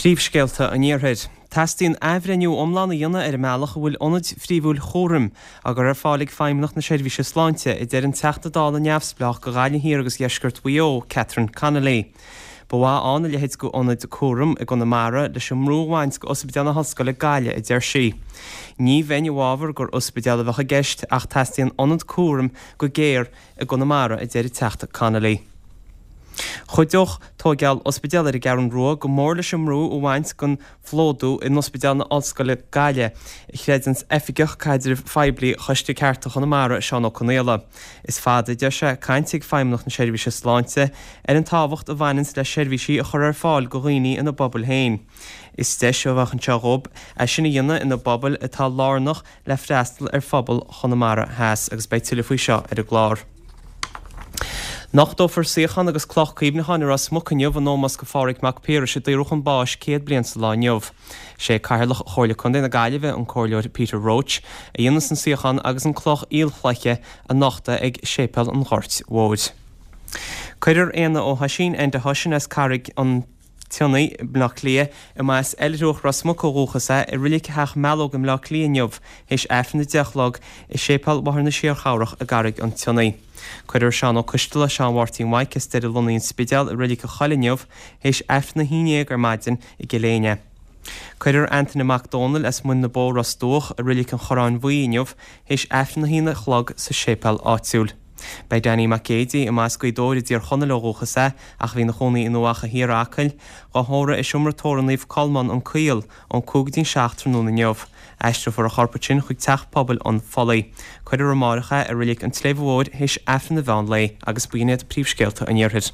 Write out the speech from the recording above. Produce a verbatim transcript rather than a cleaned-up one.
Príomhscéalta an Iarthair. Teastaíonn athbhreithniú iomlán a dhéanamh ar an mbealach a bhfuil ionaid phríomhúil chúraim á gcur ar fáil ag Feidhmeannacht na Seirbhíse Sláinte, a deir an Teachta Dála neamhspleách do Ghaillimh Thiar agus Dheisceart Mhaigh Eo, Catherine Connolly. Ba mhaith ann a leithéid d'ionad cúraim i gConamara leis an mbrú a bhaint de Ospidéal na hOllscoile Gaillimh, a deir sí. Ní bheinn i bhfabhar gur ospidéal a bheadh i gceist ach teastaíonn ionad cúraim go géar i gConamara, a deir an Teachta Connolly. Chuideodh tóigeáil ospidéal ar an gCeathrú Rua go mór leis an mbrú a bhaint den phlódú in Ospidéal na Ollscoile Gaillimh, a chreideanns Oifigeach Caidrimh Phoiblí Choiste Cearta Chonamara, Seán Ó Conaola. Is fada, a deir sé, cainte ag Feidhmeannacht na Seirbhíse Sláinte ar an tábhacht a bhaineanns le seirbhísí a chur ar fáil do dhaoine ina bpobail féin. Is deis a bheadh anseo dhób é sin a dhéanamh ina bpobail atá lárnach le freastal ar phobal Chonamara Theas agus beidh tuilleadh faoi seo ar an gclár. Nochtófar suíochán agus cloch cuimhneacháin i Ros Muc inniu in ómós do Phádraig Mac Piarais a daoradh chun báis céad bliain sa lá inniu. Sé Cathaoirleach Chomhairle Contae na Gaillimhe, an Comhairleoir Peter Roche, a dhéanfas an suíochán agus an cloch aolchloiche a nochtadh ag Séipéal an Ghoirt Mhóir. Cuirfear Éanna Ó hOisín, Enda Hushen as Carraig an tSionnaigh, Baile Átha Cliath, a mba as Oilithreach Ros Muc ó dhúchas é, i Reilig Theach Mealóg i mBleá Cliath inniu, théis Aifreann a deich a chlog i Séipéal Mháthair na Síorchabhrach i gCarraig an tSionnaigh. Cuirfear Seán Ó Coisteala, Seán Mháirtín Mhaidhc as Doire Lonnaí an Spidéal i Reilig an Choill inniu, théis Aifreann a haon déag ar maidin i gCill Éinne. Cuirfear Antaine Mac Dónaill as Muin na Bó, Ros Dumhach, i Reilig an Chorráin Bhuí inniu, théis Aifreann a haon a chlog sa séipéal áitiúil. Beidh Danny Mac Géidigh, a mba as Gaoth Dobhair i dTír Chonaill ó dhúchas é, ach a bhí ina chónaí in Uíbh Eachach Thiar, Acaill, dhá thórramh i seomra tórraimh Naomh Colmán, An Caol, ón cúig go dtí'n seacht tráthnóna inniu. Aistreofar a chorp ansin chuig Teach Pobail an Phollaigh. Cuirfear amárach é i Reilig an tSléibhe Mhóir théis Aifreann an mheán lae agus b'in iad príomhscéalta an Iarthair.